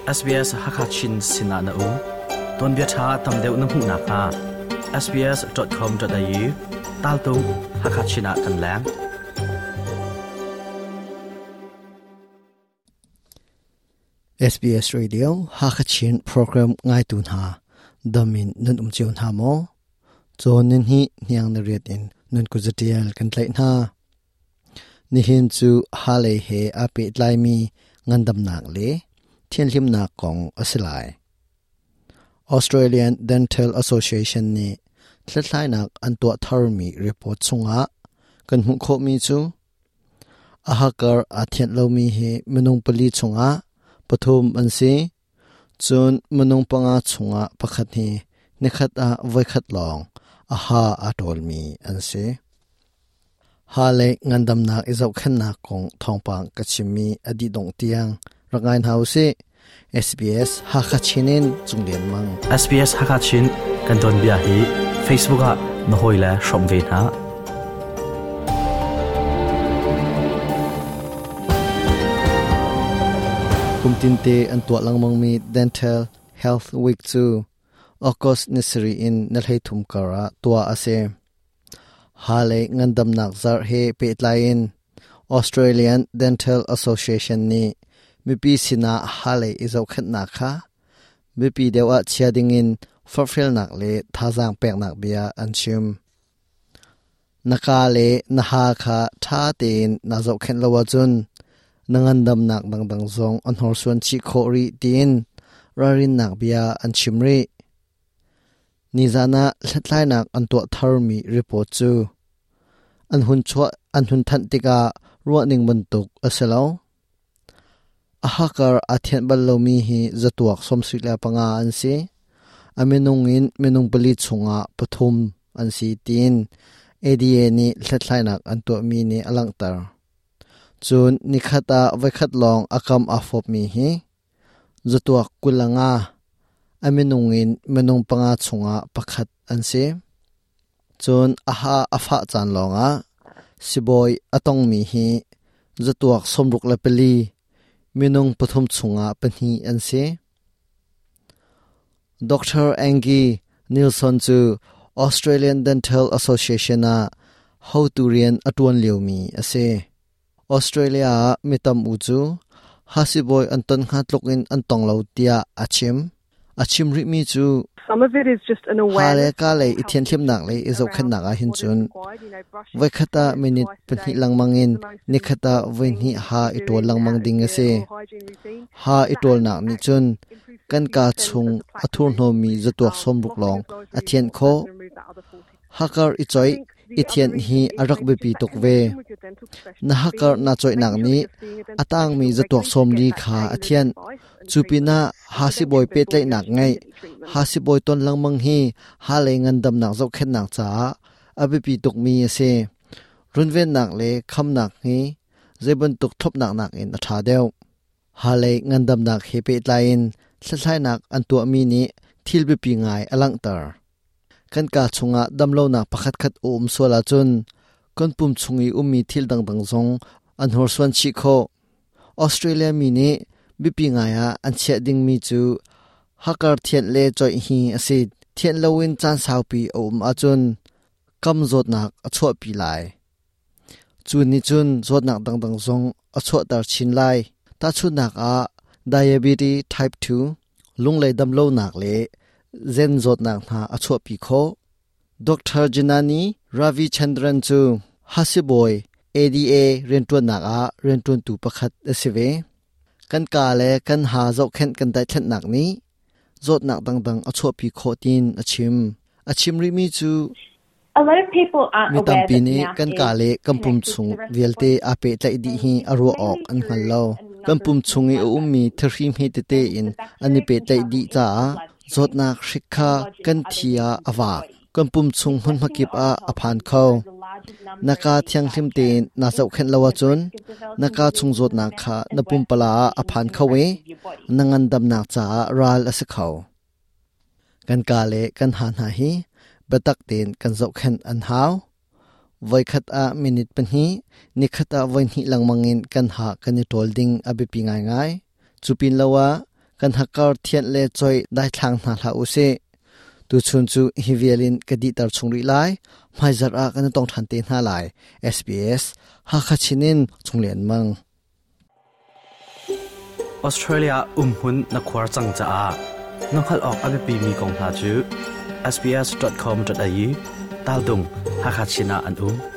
SBS Hakachin sinah na um. Tuanbia ṭha tam deuh na hmuh nakhnga sbs.com.au taltung Hakachin ah kan leng. SBS Radio Hakachin program ngaitu hna damin nan um cio hna maw? Cawn nin hi hniang na riat in nan kuzatial kan tlaih hna. Nihin cu Halei he aa pehtlaimi ngandamnak le thianhlimnak kong a si lai. Australian Dental Association nih hlathlainak an tuah tharmi report chungah kan hmuh khawhmi cu a hakar aa thianh lomi hi minung pali chungah pathum an si. Cun minung panga chungah pakhat hi nikhat ah voikhat lawng a ha aa ṭawlmi an si. Ha le ngandamnak i zohkhenhnak kong thawngpang ka chimmi a dih dongh tiang rak ngai hna usih. SBS Hakha Chin in Cung Lian Mang. SBS Hakha Chin kan tuanbia hi Facebook ah na hawile hrawm ve hna. Kum tinte an tuah lengmangmi Dental Health Week cu August ni sarih in ni 13 kar ah tuah a si. Ha le ngandamnak zarh he pehtlai in Australian Dental Association nih mipi sinah ha lei i zohkhenhnak kha biapi deuh ah chia dingin forhfialnak le thazaang peknak bia an chim. Na kaa le na ha kha ṭha tein naa zohkhenh lo ahcun na ngandamnak dangdang zong a hnorsuan chih khawh rih tiin ralrinnak bia an chim rih. Nizan ah hlathlainak an tuah tharmi report cu an hun chuah an hun thanh tikah ruahning bantuk a si lo. A hakar aa thianh bal lomi hi zatuak 75 an si. A minung in minung pali chungah pathum an si tiin ADA nih hlathlainak an tuahmi nih a langhter. Cun nikhat ah voikhat lawng a kam aa fawpmi hi zatuak 25, a minung in minung panga chungah pakhat an si. Cun a ha a fah caan lawngah sibawi a tongmi hi zatuak 64, minung pathum chungah pahnih an si. Dr. Angie Nilsson cu Australian Dental Association ah hotu rian a ṭuan liomi a si. Australia ah mi tam u cu hasibawi an ton hnga tluk in an tong lo tiah a chim. A chim rihmi cu ha le ka lei i thianhlimnak le i zohkhenhnak ah hin cun voikhat ah minute pahnih lengmang in nikhat ah voihnih ha i ṭawl lengmang ding a si. Ha i ṭawlnak nih cun kan kaa chung a thurhnawmmi zatuak 60 lawng a thianh khawh. Hakar i coih i thianh hi a rak biapi tuk ve. Na hakar naa coihnak nih a tangmi zatuak 40 kha a thianh. Cu pinah ha sibawi pehtlaihnak ngeih, ha sibawi ton lengmang hi ha lei ngandamnak zohkhenhnak caah a biapi tukmi a si. Runvennak le khamnak hi zeibantuk thlopnak nakin a ṭha deuh. Halei ngandamnak he pehtlai in hlathlainak an tuahmi nih thil biapi ngai a langhter. Kan kaa chungah damlonak pakhatkhat a um sual ahcun kan pum chung i ummi thil dangdang zong an hnorsuan chih khawh. Australia mi nih biapi ngai ah an chiah dingmi cu hakar thianh le coih hi a si. Thianh loin caan saupi a um ahcun kam zawtnak a chuahpi lai. Cu nih cun zawtnak dangdang zong a chuahter chin lai. Tahchunhnak ah, diabetes type 2, lunglei damlonak le zen zawtnak hna a chuahpi khawh. Dr. Janani Ravichandran cu hasibawi ADA rianṭuannak ah rianṭuantu pakhat a si ve. Kan kaa le kan ha zohkhenh kan daithlanhnak nih zawtnak dangdang a chuahpi khawh tiin a chim. A chim rihmi cu Mi tampi nih kan kaa le kan pum chung vialte aa pehtlaih dih hi a ruah awk an hngal lo. Kan pum chung i a ummi thahri hme tete in an i pehtlaih dih caah zawtnak hrik kha kan thi ah a vak. Kan pum chung hmunhma kip ah a phan kho. Na kaa thianghlim tein naa zohkhenh lo ahcun na kaa chung zawtnak kha na pumpala ah a phan kho i na ngandamnak caah ral a si kho. Kan kaa le kan ha hna hi biatak tein kan zohkhenh an hau. Voikhat ah minute pahnih, nikhat ah voihnih lengmang in kan ha kan i ṭawl ding a biapi ngaingai. Cu pin lo ah Kan hakkar thianh le choi daithlang hna hlah usih. Tuchun cu hi vial in ka dihter chung rih lai. Hmaizarh ah kan i tong ṭhan te hna lai. SBS Hakha Chin in Chunglian Mang. Australia umhmun na khuar cang caah na hngalh awk a biapimi kong hna cu sbs.com.au tal dung Hakha Chin ah an um.